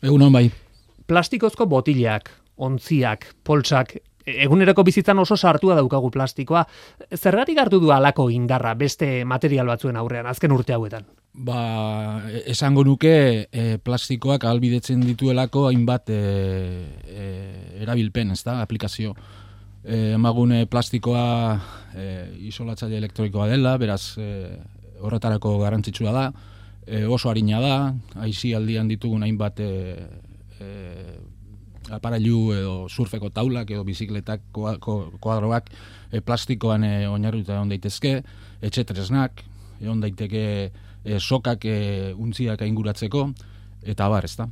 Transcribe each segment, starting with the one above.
Egunon bai. Plastikozko botilak, ontziak, poltsak, eguneroko bizitzan oso sartua daukagu plastikoa. Zergatik hartu du halako indarra beste material batzuen aurrean, azken urte hauetan? Esango nuke plastikoak ahalbidetzen dituelako hainbat erabilpen, ez da, aplikazio. Emagune plastikoa isolatzaile elektronikoa dela, beraz horretarako garrantzitsua da, oso arina da, aisialdian ditugun hainbat aparailu edo surfeko taulak edo bizikletak koadroak plastikoan oinarrituta egon daitezke, etxetresnak, egon daiteke sokak untziak ainguratzeko, eta abar, ez da.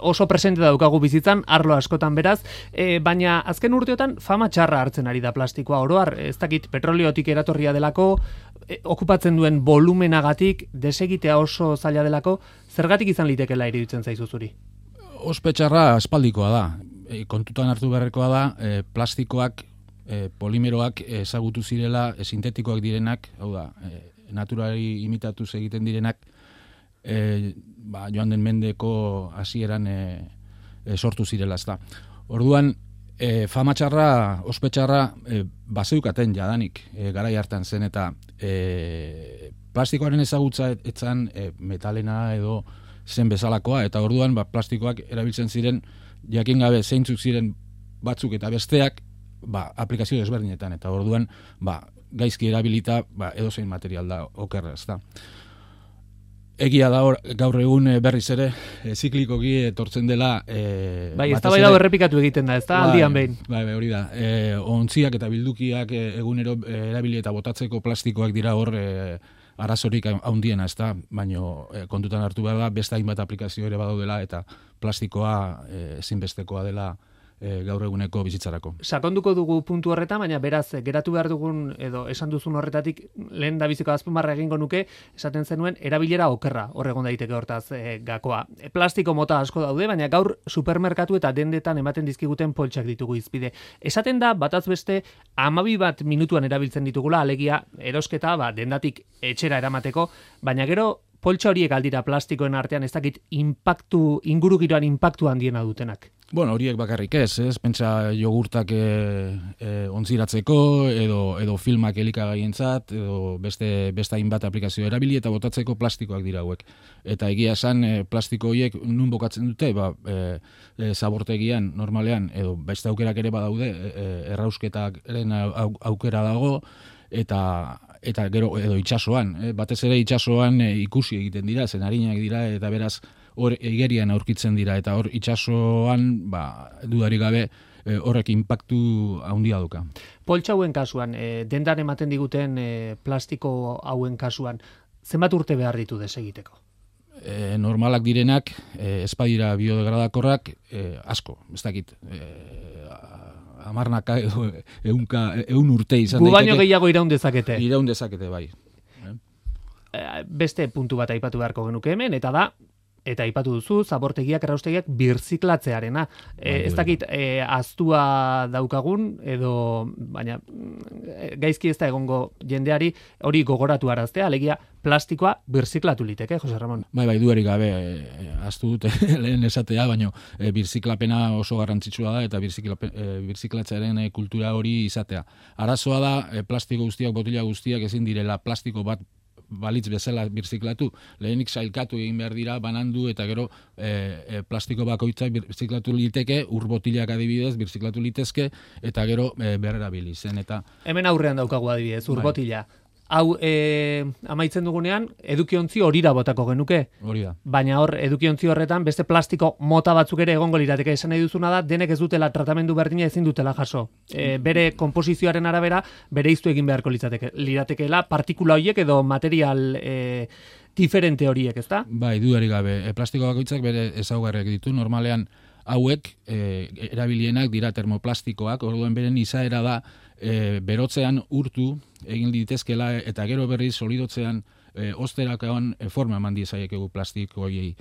Oso presente daukagu bizitzan, arlo askotan beraz, baina azken urteotan fama txarra hartzen ari da plastikoa. Oro har, ez dakit, petroliotik eratorria delako, okupatzen duen volumenagatik, desegitea oso zaila delako, zergatik izan litekeela iruditzen zaizu zuri? Ospetxarra aspaldikoa da. Kontutan hartu beharrekoa da, plastikoak, polimeroak ezagutu zirela, sintetikoak direnak, hau da, naturari imitatuz egiten direnak, joan den mendeko hasieran sortu zirela, ezta. Orduan, fama txarra, ospetxarra, bazeukaten jadanik, garai hartan zen, eta plastikoaren ezagutza etzan metalena edo zen bezalakoa, eta orduan plastikoak erabiltzen ziren, jakin gabe zeintzuk ziren batzuk eta besteak, aplikazio desberdinetan, eta orduan, gaizki erabilita, edozein material da okerra, ezta. Egia da gaur egun berriz ere ziklikoki etortzen dela eztabaida errepikatu egiten da, ez da aldian behin. Bai, hori da. Ontziak eta bildukiak egunero erabili eta botatzeko plastikoak dira hor arazorik handiena, ez da, baino kontutan hartu behar da, beste hainbat aplikazio ere badaudela eta plastikoa ezinbestekoa dela gaur eguneko bizitzarako. Sakonduko dugu puntu horretan, baina beraz, geratu behar dugun, edo esan duzun horretatik, lehen da biziko azpimarra egingo nuke, esaten zenuen, erabilera okerra, horregon daiteke hortaz gakoa. Plastiko mota asko daude, baina gaur supermerkatu eta dendetan ematen dizkiguten poltsak ditugu izpide. Esaten da, bataz beste, 12 minutuan erabiltzen ditugula, alegia, erosketa, dendatik etxera eramateko, baina gero, poltsa horiek aldira plastikoen artean, ez dakit, ingurugiroan inpaktu handiena dutenak. Bueno, horiek bakarrik ez, pentsa jogurtak ontziratzeko, edo filmak elikagaientzat, edo beste hainbat aplikazio erabili eta botatzeko plastikoak dira hauek. Eta egia esan plastiko horiek nun bokatzen dute, zabortegian, normalean, edo beste aukerak ere badaude, errausketaren aukera dago, eta gero edo itsasoan, batez ere itsasoan ikusi egiten dira, zen arinak dira, eta beraz hor igerian aurkitzen dira, eta hor itsasoan dudarik gabe horrek inpaktu handia duka. Poltsa hauen kasuan, dendan ematen diguten plastiko hauen kasuan, zenbat urte behar ditu desegiteko? Normalak direnak, espadira biodegradakorrak, asko, ez dakit, amarnaka edo ehun urte izan daiteke. Gu baino gehiago iraun dezakete. Iraun dezakete, bai. Beste puntu bat aipatu beharko genuke hemen, eta da, eta aipatu duzu, zabortegiak, erraustegiak birziklatzearena. Ez dakit, aztua daukagun, edo, baina gaizki ez da egongo jendeari hori gogoratu araztea, alegia plastikoa birziklatu liteke, Jose Ramon. Bai, dudarik gabe, aztu dute lehen esatea, baina birziklapena oso garrantzitsua da, eta birziklatzearen kultura hori izatea. Arazoa da, plastiko guztiak, botila guztiak ezin direla plastiko bat balitz bezala birziklatu, lehenik sailkatu egin behar dira, banandu, eta gero plastiko bakoitza birziklatu liteke, urbotilak adibidez, birziklatu litezke, eta gero berrerabili zen. Hemen aurrean daukagu adibidez, urbotila. Hau, amaitzen dugunean, edukiontzi horira botako genuke. Hori da. Baina hor, edukiontzi horretan, beste plastiko mota batzuk ere egongo lirateke. Esan nahi duzuna da, denek ez dutela tratamendu berdina ezin dutela jaso. Bere konposizioaren arabera, bere iztu egin beharko liratekeela, partikula horiek edo material diferente horiek, ezta? Bai, dudarik gabe. Plastiko bakoitzak bere ezaugarriak ditu. Normalean, hauek erabilienak dira termoplastikoak, orduan beren izaera da berotzean urtu egin litezkela eta gero berriz solidotzean osterakaon forma eman diezaiekegu plastiko horiei.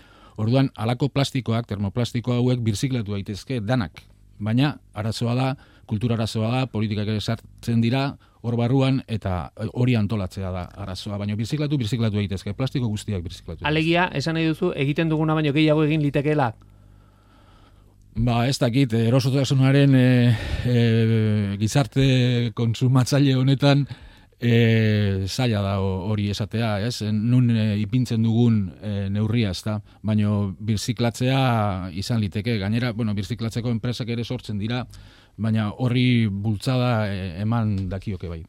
Orduan, halako plastikoak, termoplastiko hauek birziklatu daitezke danak. Baina, arazoa da, kultura arazoa da, politikak ere sartzen dira, hor barruan, eta hori antolatzea da arazoa. Baina birziklatu daitezke, plastiko guztiak birziklatu. Alegia, esan nahi duzu, egiten duguna baino gehiago egin litekeela. Ez dakit, erosotasunaren gizarte kontsumatzaile honetan zaila da hori esatea, ez? Nun ipintzen dugun neurria, ez da? Baina birziklatzea izan liteke. Gainera, birziklatzeko enpresak ere sortzen dira, baina horri bultzada eman dakioke bai.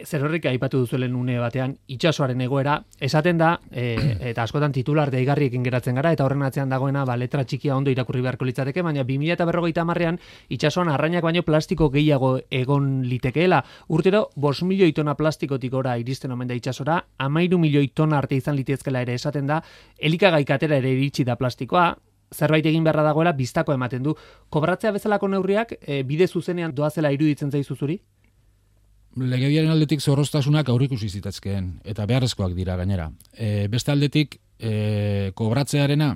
Zer horrik aipatu duzuelen une batean, itsasoaren egoera, esaten da, eta askotan titular deigarriekin geratzen gara, eta horren atzean dagoena, letra txikia ondo irakurri beharko litzateke, baina 2050ean itsasoan arrainak baino plastiko gehiago egon litekeela. Urtero, 5 milioi tona plastikotik ora iristen omen da itsasora, 13 milioi tona arte izan litezkela ere esaten da, elikagai katera ere iritsi da plastikoa, zerbait egin beharra dagoela biztako ematen du. Kobratzea bezalako neurriak, bide zuzenean doazela iruditzen zaizu zuri? Legediaren aldetik zorroztasunak aurrikusi zitazkeen, eta beharrezkoak dira gainera. Beste aldetik, kobratzearena,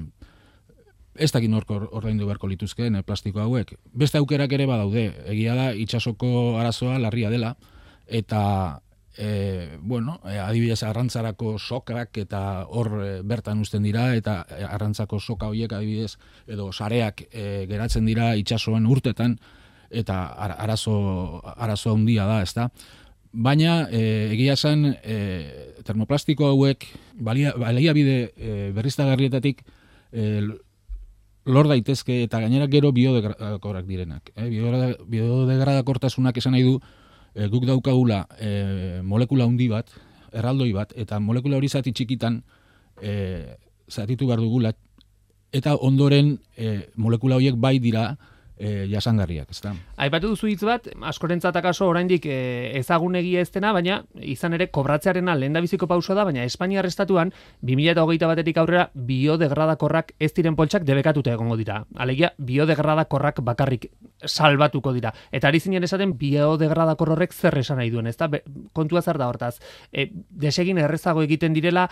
ez dakit norko ordaindu beharko lituzkeen plastiko hauek. Beste aukerak ere badaude, egia da itsasoko arazoa larria dela, eta adibidez arrantzarako sokak eta hor bertan uzten dira, eta arrantzako soka horiek adibidez, edo sareak geratzen dira itsasoan urtetan, eta arazo handia da, ezta? Baina, egia esan, termoplastiko hauek baliabide berriztagarrietatik lor daitezke eta gainera gero biodegradakorrak direnak. Biodegradakortasunak esan nahi du, guk daukagula molekula handi bat, erraldoi bat, eta molekula hori zati txikitan zatitu behar dugula, eta ondoren molekula horiek bai dira jasangarriak, ezta? Aipatu duzu hitz bat, askorentzat akaso oraindik ezagunegia ez dena, baina izan ere kobratzearena lehendabiziko pausoa da, baina Espainiar estatuan 2021etik aurrera biodegradakorrak ez diren poltsak debekatuta egongo dira. Alegia biodegradakorrak bakarrik salbatuko dira. Eta ari zinen esaten biodegradakor horrek zer esan nahi duen, ezta? Kontua zer da hortaz. Desegin errezago egiten direla,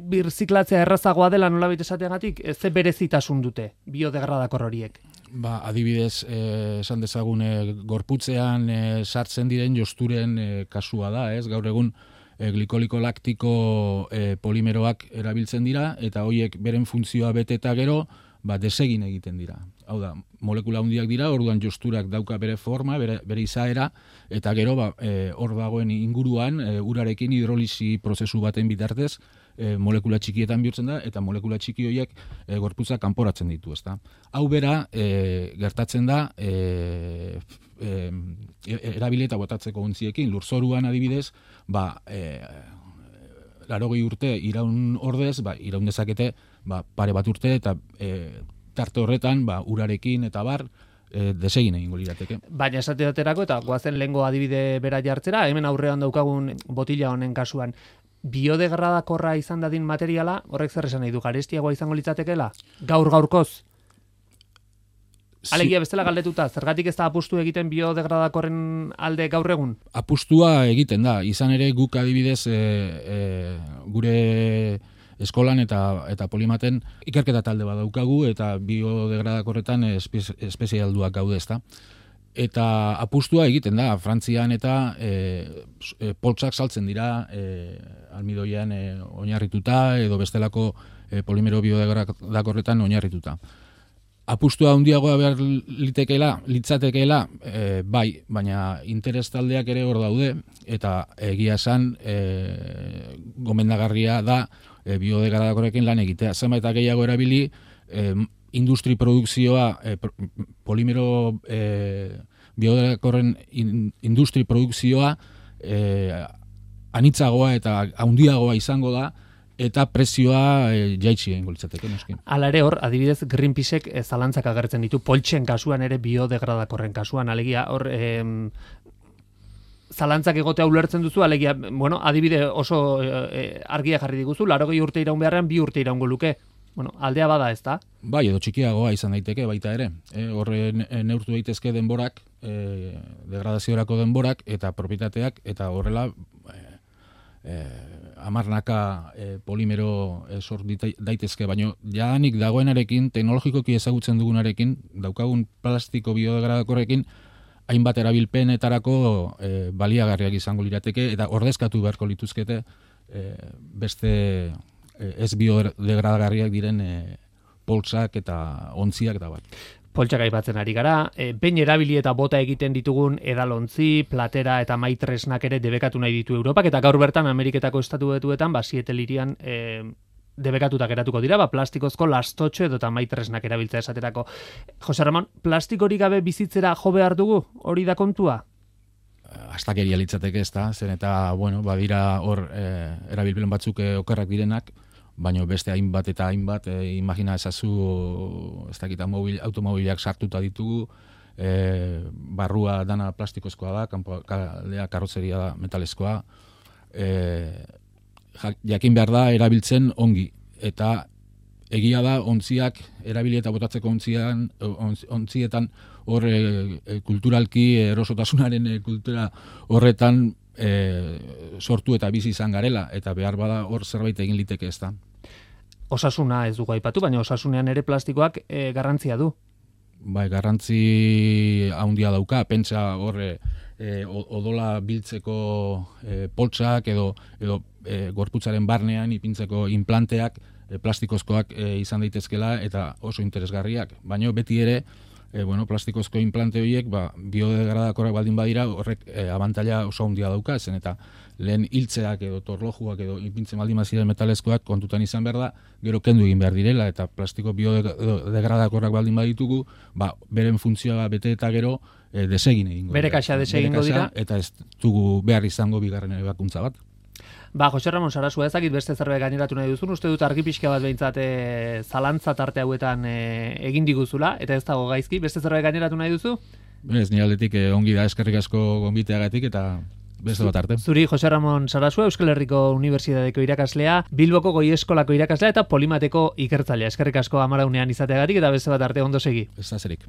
birziklatzea errazagoa dela nolabait esateagatik, ze berezitasun dute biodegradakor horiek? Adibidez, esan dezagun gorputzean sartzen diren josturen kasua da, ez? Gaur egun glikoliko laktiko polimeroak erabiltzen dira, eta horiek beren funtzioa bete eta gero, desegin egiten dira. Hau da, molekula handiak dira, orduan josturak dauka bere forma, bere izaera, eta gero hor dagoen inguruan urarekin hidrolisi prozesu baten bitartez, molekula txikietan bihurtzen da, eta molekula txiki horiek gorputza kanporatzen ditu, ezta. Hau bera, gertatzen da, erabileta botatzeko ontziekin, lurzoruan adibidez, 80 urte iraun ordez, iraun dezakete, pare bat urte, eta tarte horretan, urarekin eta desegin egingo lirateke. Baina esate daterako, eta goazen lehengo adibide bera jartzera, hemen aurrean daukagun botila honen kasuan, biodegradakorra izan dadin materiala, horrek zer esan nahi du, garestiagoa izango litzatekeela? Gaurkoz? Alegia bestela galdetuta, zergatik ez da apustu egiten biodegradakorren alde gaur egun? Apustua egiten da, izan ere guk adibidez gure eskolan eta polimaten ikerketa talde bat daukagu, eta biodegradakorretan espezialduak gaude, ezta. Eta apustua egiten da, Frantzian eta poltsak saltzen dira almidoian oinarrituta edo bestelako polimero biodegradakorretan oinarrituta. Apustua handiagoa behar litzatekeela, bai, baina interes taldeak ere hor daude, eta egia esan gomendagarria da biodegradakorrekin lan egitea. Zenbait gehiago erabili, industri produkzioa, polimero biodegradakorren industri produkzioa anitzagoa eta handiagoa izango da, eta prezioa jaitsi egingo litzateke, noski. Hala ere hor, adibidez Greenpeacek zalantzak agertzen ditu, poltsen kasuan ere biodegradakorren kasuan, alegia hor zalantzak egotea ulertzen duzu, alegia, adibide oso argia jarri diguzu, 80 urte iraun beharrean 2 urte iraungo luke. Aldea bada, ez da? Bai, edo txikiagoa izan daiteke baita ere. Horren neurtu daitezke denborak, degradaziorako denborak, eta propietateak, eta horrela hamarnaka polimero sort daitezke, baina jadanik dagoenarekin, teknologikoki ezagutzen dugunarekin, daukagun plastiko biodegradakorrekin, hainbat erabilpenetarako baliagarriak izango lirateke, eta ordezkatu beharko lituzkete beste ez biodegradagarriak diren poltsak eta ontziak eta bat. Poltsak aipatzen ari gara, behin erabili eta bota egiten ditugun edalontzi, platera eta maitresnak ere debekatu nahi ditu Europak, eta gaur bertan Ameriketako estatu betuetan, Seattle hirian debekatuta geratuko dira, plastikozko lastotxo edo eta maitresnak erabiltza esaterako. Jose Ramon, plastikorik gabe bizitzera jo behar dugu? Hori da kontua? Astakeria litzateke ez da, zen eta, bueno, badira hor erabilpen batzuk okerrak direnak, baina beste hainbat eta hainbat, imagina ezazu, ez dakita automobilak sartuta ditugu, barrua dana plastikozkoa da, kanpoaldea karrozeria da metalezkoa, jakin behar da erabiltzen ongi, eta egia da ontziak, erabili eta botatzeko ontzietan hor kulturalki erosotasunaren kultura horretan sortu eta bizi izan garela, eta behar bada hor zerbait egin liteke ez da. Osasuna ez dugu aipatu, baina osasunean ere plastikoak garrantzia du. Bai, garrantzi handia dauka, pentsa hor odola biltzeko poltsak edo gorputzaren barnean ipintzeko implanteak plastikozkoak izan daitezkela eta oso interesgarriak, baina beti ere plastikozko implante horiek biodegradakorrak baldin badira horrek abantaila oso handia dauka, zen eta lehen hiltzeak edo torlojuak edo ipintzen baldin baziren metalezkoak kontutan izan behar da, gero kendu egin behar direla eta plastiko biodegradakorrak baldin baditugu, beren funtzioa bete eta gero desegin egingo. Bere kaxa desegingo dira. Eta ez dugu behar izango bigarren ebakuntza bat. Jose Ramon Sarasua, ezakit beste zerbait gaineratu nahi duzun, uste dut argi pixka bat behintzat zalantza tarte hauetan egin diguzula, eta ez dago gaizki, beste zerbait gaineratu nahi duzu? Ez, nire aldetik ongi da, eskerrik asko gonbiteagatik eta beste bat arte. Zuri Jose Ramon Sarasua, Euskal Herriko Unibertsitateko irakaslea, Bilboko Goi Eskolako irakaslea eta Polimateko ikertzailea. Eskerrik asko amaraunean izateagatik eta beste bat arte ondo segi. Ez da zerik.